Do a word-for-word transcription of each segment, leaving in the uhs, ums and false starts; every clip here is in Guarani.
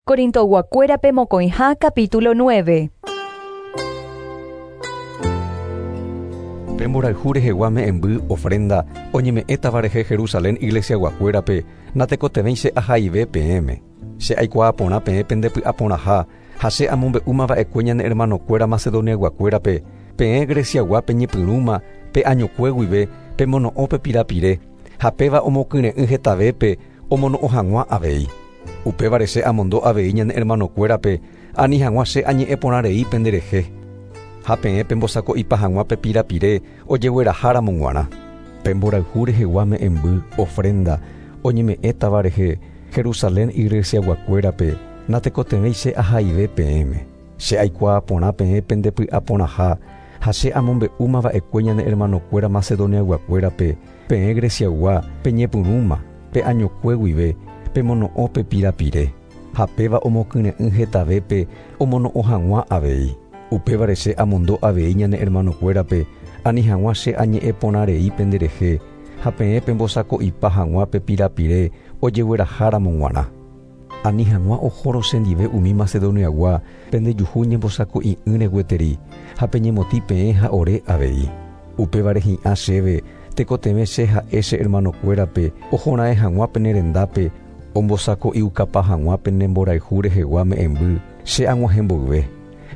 Corintoguakuérape mokõiha capítulo nueve. Pe mborayhu rehegua me'ẽmby ofrenda oñeme'ẽtava rehe Jerusalén iglesiaguakuérape natekotevẽi che ahaive peẽme. Che aikuaa porã peẽ pendepy'aporãha ha che amombe'úmava'ekue ñane hermanokuéra Macedoniaguakuérape peẽ Greciaguápe ñepyrũma pe añokue guive pemono'õ pe pirapire ha péva omokyre'ỹ hetavépe omono'õ hag̃ua avei. Upévare che amondo avei ñane hermanokuérape ani hag̃ua che añe'ẽporãrei penderehe. Ha peẽ pembosako'ipa hag̃ua pe pirapire ojegueraháramo g̃uarã. Pe mborayhu rehegua me'ẽmby ofrenda oñeme'ẽtava rehe Jerusalén iglesiaguakuérape natekotevẽi che ahaive peẽme. Che aikuaa porã peẽ pendepy'aporãha ha che amombe'úmava'ekue ñane hermanokuéra Macedoniaguakuérape peẽ Greciagua peñepyrũma pe añokue guive pemono'õ pe pirapire ha péva omokyre'ỹ hetavépe omono'õ hag̃ua avei. Upévare che amondo avei ñane hermanokuérape ani hag̃ua che añe'ẽporãrei penderehe ha peẽ pembosako'ipa hag̃ua pe pirapire ojegueraháramo g̃uarã. Ani hag̃ua ohórõ chendive umi Macedoniagua pendejuhu ñembosako'i'ỹre gueteri ha peñemotĩ peẽ ha ore avei. Upévare hi'ã chéve tekotevẽ che ha'e che hermanokuérape ohora'ẽ hag̃ua pene rendápe ombosako'iukapa hag̃ua pene mborayhu rehegua me'ẽmby che ag̃uahẽ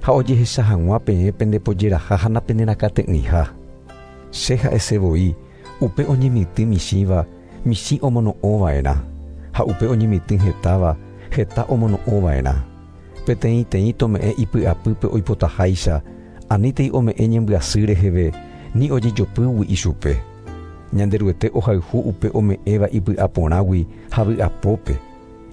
ha ojehecha hag̃ua peẽ pendepojeraha ha napenerakate'ỹiha. Che ha'esevoi upe oñemitỹ michĩva michĩ omono'õva'erã ha upe oñemitỹ hetáva heta omono'õva'erã. Peteĩteĩ tome'ẽ ipy'apýpe oipotaháicha anítei ome'ẽ ñembyasy reheve ni ojejopýgui ichupe. Ñanderuete ohayhu upe ome'ẽva ipy'aporãgui ha vy'apópe.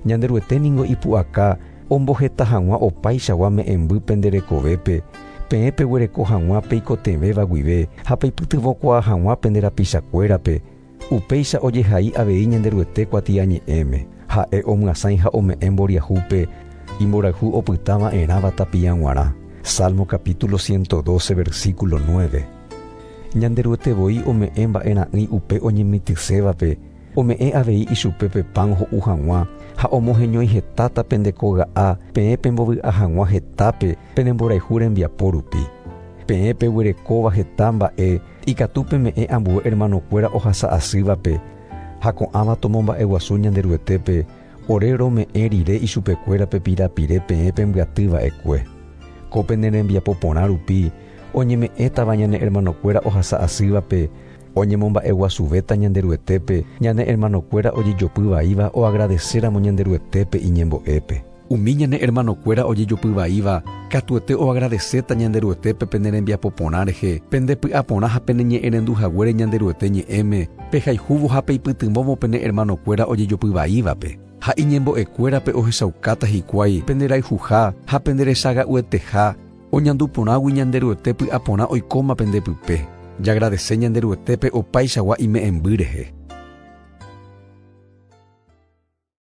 Ñanderuete ningo ipu'aka omboheta hag̃ua opaichagua me'ẽmby penderekovépe peẽ peguereko hag̃ua peikotevẽva guive ha peipytyvõkuaa hag̃ua pende rapichakuérape. Upéicha ojehai avei Ñanderuete kuatiañe'ẽme. Ha'e omyasãi ha ome'ẽ mboriahúpe imborayhu opytava'erãva tapia g̃uarã. Salmo capítulo ciento doce versículo nueve. Ñanderuete voi ome'ẽ mba'era'ỹi upe oñemitỹsévape ome'ẽ avei ichupe pe pan ho'u hag̃ua ha omoheñói hetáta pendekoga'a peẽ pembovy'a hag̃ua hetápe pene mborayhu rembiapo rupi. Peẽ peguerekóva heta mba'e ikatu peme'ẽ ambue hermanokuéra ohasa'asývape ha ko'ãva tomomba'eguasu Ñanderuetépe ore rome'ẽ rire ichupekuéra pe pirapire peẽ pembyatyva'ekue. Ko pene rembiapo porã rupi oñeme'ẽtava ñane hermanokuéra ohasa'asývape oñemomba'eguasuvéta Ñanderuetépe ñane hermanokuéra ojejopyvaíva oagradecéramo Ñanderuetépe iñembo'épe. Umi ñane hermanokuéra ojejopyvaíva katuete oagradecéta Ñanderuetépe pene rembiapo porã rehe pendepy'aporã ha pene ñe'ẽrendu haguére Ñanderuete ñe'ẽme pehayhúvo ha peipytyvõvo pene hermanokuéra ojejopyvaívape. Ha iñembo'ekuérape ohechaukáta hikuái penderayhuha ha penderechaga'ueteha oñanduporãgui Ñanderuete py'aporã oikóma pendepype. Jagradece Ñanderuetépe opaichagua ime'ẽmby rehe.